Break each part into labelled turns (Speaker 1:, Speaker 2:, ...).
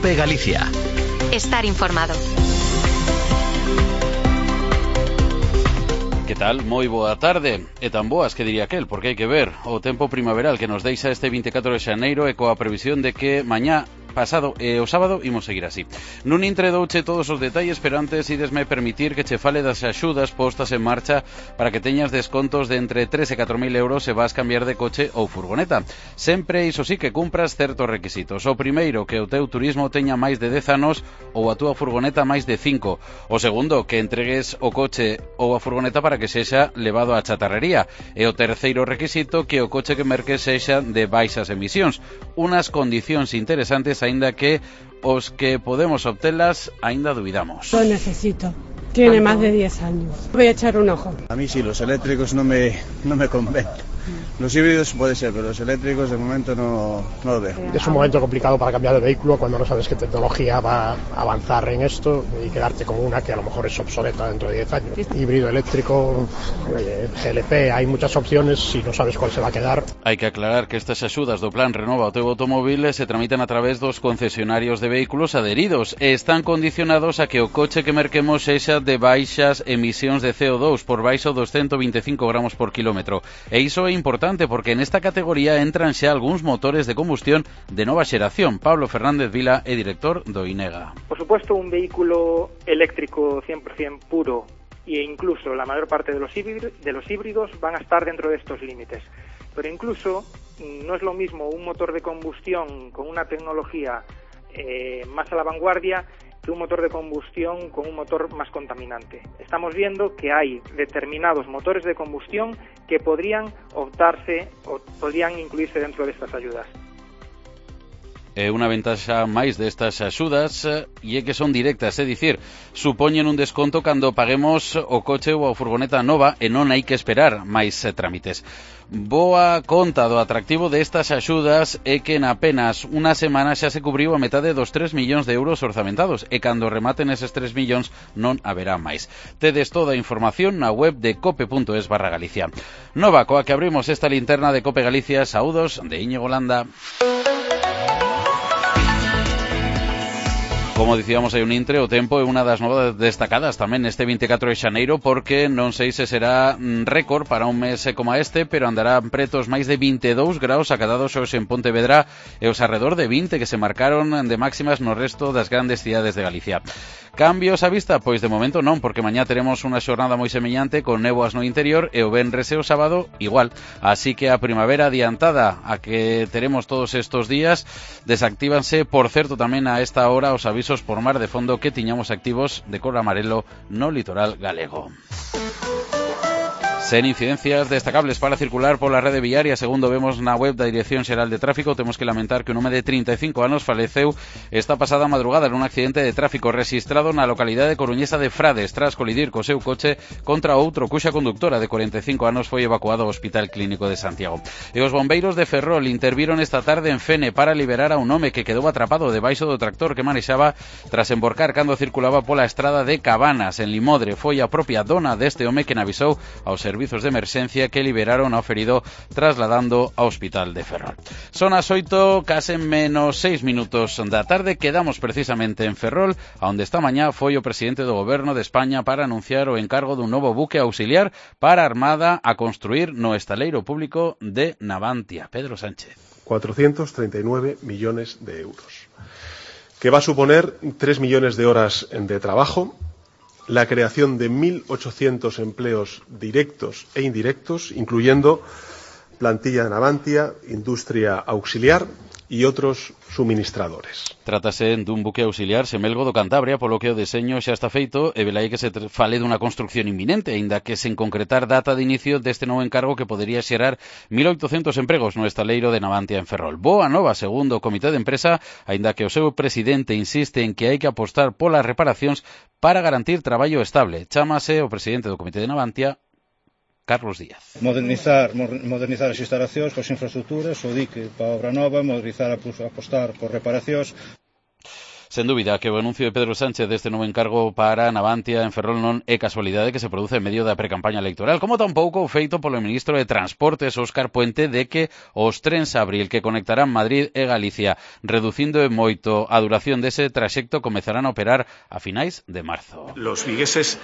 Speaker 1: COPE Galicia.
Speaker 2: Estar informado.
Speaker 3: Que tal? Moi boa tarde. E tan boas que diría aquel, porque hai que ver o tempo primaveral que nos deixa este 24 de xaneiro e coa previsión de que mañá pasado e o sábado imos seguir así. Nun introdouche todos os detalles, pero antes idesme permitir que che fale das axudas postas en marcha para que teñas descontos de entre 3 e 4.000 euros se vas cambiar de coche ou furgoneta. Sempre, iso sí, que cumpras certos requisitos. O primeiro, que o teu turismo teña máis de 10 anos ou a túa furgoneta máis de 5. O segundo, que entregues o coche ou a furgoneta para que sexa levado á chatarrería. E o terceiro requisito, que o coche que merques sexa de baixas emisións. Unas condicións interesantes, aínda que os que podemos obtelas aínda dubidamos.
Speaker 4: Lo necesito. Tiene más de 10 años. Voy a echar un ojo.
Speaker 5: A mí sí, los eléctricos no me convencen. Los híbridos puede ser, pero los eléctricos de momento no lo veo.
Speaker 6: Es un momento complicado para cambiar de vehículo cuando no sabes qué tecnología va a avanzar en esto y quedarte con una que a lo mejor es obsoleta dentro de 10 años. Híbrido, eléctrico, GLP, hay muchas opciones y no sabes cuál se va a quedar.
Speaker 3: Hai que aclarar que estas axudas do Plan Renova o teu automóvil se tramitan a través dos concesionarios de vehículos adheridos e están condicionados a que o coche que merquemos sexa de baixas emisións de CO2 por baixo dos 125 gramos por kilómetro. E iso é importante porque nesta categoría entran xa algúns motores de combustión de nova xeración. Pablo Fernández Vila é director do INEGA.
Speaker 7: Por supuesto, un vehículo eléctrico 100% puro e incluso la mayor parte de los híbridos van a estar dentro de estos límites. Pero incluso no es lo mismo un motor de combustión con una tecnología más a la vanguardia que un motor de combustión con un motor más contaminante. Estamos viendo que hay determinados motores de combustión que podrían optarse o podrían incluirse dentro de estas ayudas.
Speaker 3: Unha ventaxa máis destas axudas e é que son directas, é dicir, supoñen un desconto cando paguemos o coche ou a furgoneta nova e non hai que esperar máis trámites. Boa conta do atractivo destas axudas é que en apenas unha semana xa se cubriu a metade dos 3 millóns de euros orzamentados e cando rematen eses 3 millóns non haberá máis. Tedes toda a información na web de cope.es/Galicia. Nova coa que abrimos esta linterna de Cope Galicia. Saúdos de Íñigo Landa. Como dicíamos, hai un intre, o tempo é unha das novas destacadas tamén neste 24 de xaneiro porque non sei se será récord para un mes como este, pero andarán pretos máis de 22 graus acadados hoxe en Pontevedra e os arredor de 20 que se marcaron de máximas no resto das grandes cidades de Galicia. Cambios á vista? Pois de momento non, porque mañá teremos unha xornada moi semellante con néboas no interior e o venres e o sábado igual. Así que a primavera adiantada a que teremos todos estos días desactívanse, por certo, tamén a esta hora os avisos por mar de fondo que tiñamos activos de cor amarelo no litoral galego. Sen incidencias destacables para circular pola rede viaria, segundo vemos na web da Dirección Xeral de Tráfico. Temos que lamentar que un home de 35 anos faleceu esta pasada madrugada nun accidente de tráfico rexistrado na localidade coruñesa de Frades tras colidir co seu coche contra outro cuxa conductora de 45 anos foi evacuado ao Hospital Clínico de Santiago. E os bombeiros de Ferrol interviron esta tarde en Fene para liberar a un home que quedou atrapado debaixo do tractor que manexaba tras emborcar cando circulaba pola estrada de Cabanas en Limodre. Foi a propia dona deste home que avisou aos servizos de emerxencia que liberaron ao ferido trasladando ao Hospital de Ferrol. Son as 8, case menos 6 minutos da tarde. Quedamos precisamente en Ferrol, onde esta mañá foi o presidente do Goberno de España para anunciar o encargo dun novo buque auxiliar para a Armada a construir no estaleiro público de Navantia. Pedro Sánchez.
Speaker 8: 439 millones de euros, que va a suponer 3 millones de horas de trabajo, la creación de 1.800 empleos directos e indirectos, incluyendo plantilla de Navantia, industria auxiliar e outros suministradores.
Speaker 3: Trátase dun buque auxiliar semelgo do Cantabria, polo que o deseño xa está feito e velaí que se fale dunha construcción inminente, aínda que sen concretar data de inicio deste novo encargo que podería xerar 1.800 empregos no estaleiro de Navantia en Ferrol. Boa nova, segundo o comité de empresa, aínda que o seu presidente insiste en que hai que apostar polas reparacións para garantir traballo estable. Chámase o presidente do comité de Navantia, Carlos Díaz.
Speaker 9: Modernizar as instalacións, as infraestructuras, o dique para a obra nova, apostar por reparacións.
Speaker 3: Sen dúbida que o anuncio de Pedro Sánchez deste novo encargo para Navantia en Ferrol non é casualidade que se produce en medio da precampaña electoral, como tampouco o feito polo ministro de Transportes, Óscar Puente, de que os trens Abril que conectarán Madrid e Galicia, reducindo en moito a duración dese traxecto, comezarán a operar a finais de marzo.
Speaker 1: Los vigueses,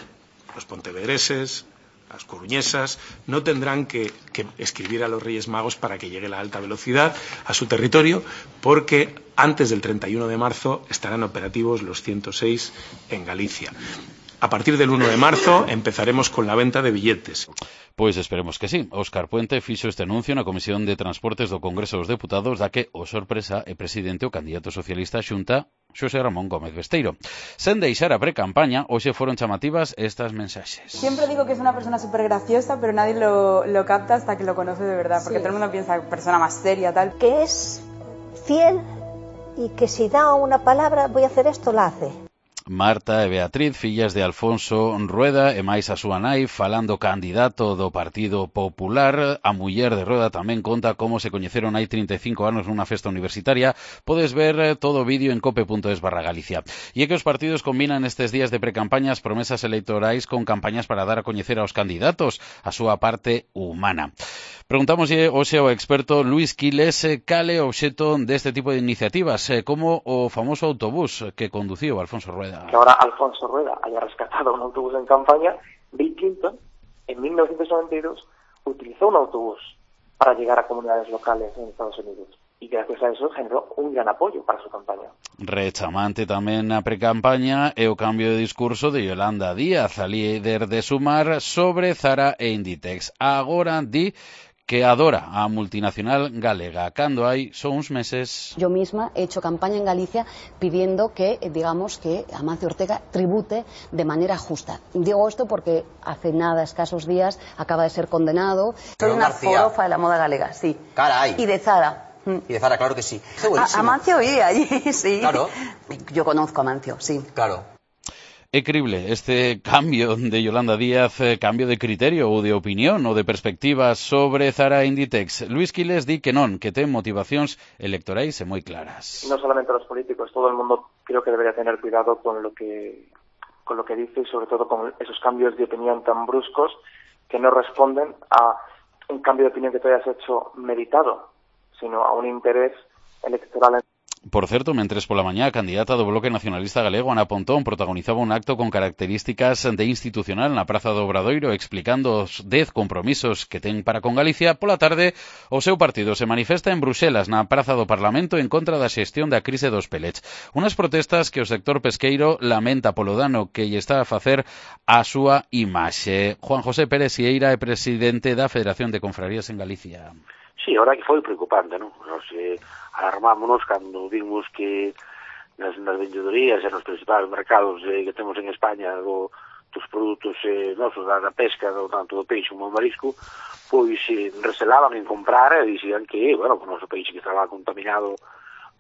Speaker 1: los pontevedreses, las coruñesas no tendrán que escribir a los Reyes Magos para que llegue la alta velocidad a su territorio, porque antes del 31 de marzo estarán operativos los 106 en Galicia. A partir del 1 de marzo empezaremos con la venta de billetes.
Speaker 3: Pois esperemos que sí. Óscar Puente fixo este anuncio na Comisión de Transportes do Congreso dos Deputados, da que, o sorpresa, é presidente o candidato socialista á Xunta, Xosé Ramón Gómez Besteiro. Sen deixar a precampaña, hoxe foron chamativas estas mensaxes.
Speaker 10: Siempre digo que es una persona súper graciosa, pero nadie lo capta hasta que lo conoce de verdad, porque todo el mundo piensa persona más seria, tal.
Speaker 11: Que es fiel y que si da una palabra, voy a hacer esto, la hace.
Speaker 3: Marta e Beatriz, fillas de Alfonso Rueda e máis a súa nai, falando candidato do Partido Popular. A muller de Rueda tamén conta como se coñeceron hai 35 anos nunha festa universitaria. Podes ver todo o vídeo en cope.es/Galicia. E é que os partidos combinan estes días de precampañas promesas electorais con campañas para dar a coñecer aos candidatos a súa parte humana. Preguntámoslle hoxe ao experto Luis Quiles cal é o obxeto deste tipo de iniciativas, como o famoso autobús que conduciu Alfonso Rueda.
Speaker 12: Que ahora Alfonso Rueda haya rescatado un autobús en campaña. Bill Clinton, en 1992, utilizó un autobús para llegar a comunidades locales en Estados Unidos. Y gracias a eso generó un gran apoyo para su campaña.
Speaker 3: Rechamante tamén na precampaña é o cambio de discurso de Yolanda Díaz, a líder de Sumar, sobre Zara e Inditex. Agora di que adora a multinacional galega, cando hai só uns meses.
Speaker 13: Yo misma he hecho campaña en Galicia pidiendo que, digamos, que Amancio Ortega tribute de manera justa. Digo esto porque hace nada, escasos días, acaba de ser condenado. Soy una forofa de la moda galega, sí.
Speaker 14: Caray.
Speaker 13: Y de Zara.
Speaker 14: Y de Zara, claro que sí.
Speaker 13: Amancio iba allí, sí.
Speaker 14: Claro.
Speaker 13: Yo conozco a Amancio, sí.
Speaker 14: Claro.
Speaker 3: É crible este cambio de Yolanda Díaz, cambio de criterio ou de opinión ou de perspectiva sobre Zara e Inditex. Luis Quiles di que non, que ten motivacións electorais e moi claras.
Speaker 12: No solamente los políticos, todo el mundo creo que debería tener cuidado con lo que dice y sobre todo con esos cambios de opinión tan bruscos que no responden a un cambio de opinión que tú hayas hecho meditado, sino a un interés electoral.
Speaker 3: Por certo, mentres pola mañá a candidata do Bloque Nacionalista Galego, Ana Pontón, protagonizaba un acto con características de institucional na Praza do Obradoiro explicando os 10 compromisos que ten para con Galicia, pola tarde o seu partido se manifesta en Bruxelas na Praza do Parlamento en contra da xestión da crise dos pellets. Unas protestas que o sector pesqueiro lamenta polo dano que lle está a facer a súa imaxe. Juan José Pérez Sieira é presidente da Federación de Confrarías en Galicia.
Speaker 15: Sí, a verdad que foi preocupante, non? Nos alarmámonos cando vimos que nas vendedorías e nos principais mercados que temos en España dos produtos nosos da pesca, tanto do peixe como do marisco, pois recelaban en comprar e dicían que, bueno, o noso peixe que estaba contaminado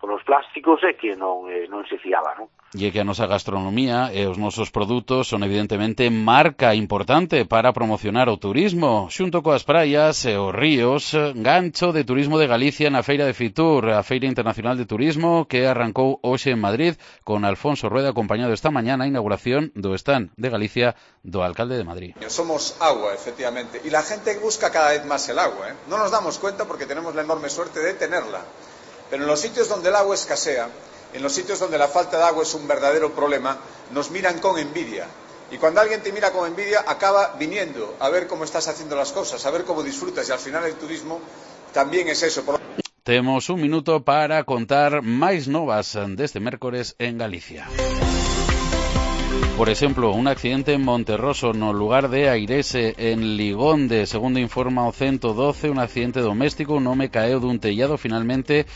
Speaker 15: polos plásticos e que non se fiaba, non?
Speaker 3: E que a nosa gastronomía e os nosos produtos son evidentemente marca importante para promocionar o turismo, xunto coas praias e os ríos, gancho de turismo de Galicia na Feira de Fitur, a Feira Internacional de Turismo que arrancou hoxe en Madrid con Alfonso Rueda acompañado esta mañá na inauguración do stand de Galicia do alcalde de Madrid.
Speaker 16: Somos agua, efectivamente, y la gente busca cada vez más el agua, No nos damos cuenta porque tenemos la enorme suerte de tenerla, pero en los sitios donde el agua escasea, en los sitios donde la falta de agua es un verdadero problema, nos miran con envidia. Y cuando alguien te mira con envidia, acaba viniendo a ver cómo estás haciendo las cosas, a ver cómo disfrutas. Y al final el turismo también es eso.
Speaker 3: Temos un minuto para contar máis novas deste mércores en Galicia. Por exemplo, un accidente en Monterroso no lugar de Airese, en Ligonde. Segundo informa o 112, un accidente doméstico, un home caeu dun tellado. Finalmente,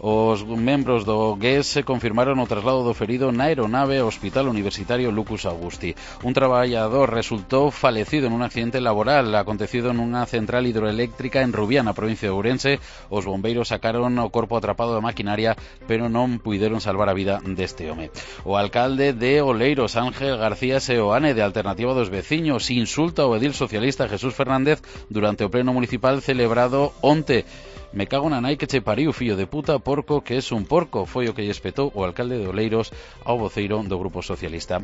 Speaker 3: os membros do GES confirmaron o traslado do ferido na aeronave ao Hospital Universitario Lucus Augusti. Un traballador resultou falecido en un accidente laboral acontecido nunha central hidroeléctrica en Rubiá, na provincia de Ourense. Os bombeiros sacaron o corpo atrapado da maquinaria, pero non puideron salvar a vida deste home. O alcalde de Oleiros, Ángel García Seoane, de Alternativa dos Veciños, insulta ao edil socialista Jesús Fernández durante o pleno municipal celebrado onte. Me cago na nai que che pariu, fillo de puta, porco que es un porco, foi o que lle espetou o alcalde de Oleiros ao voceiro do Grupo Socialista.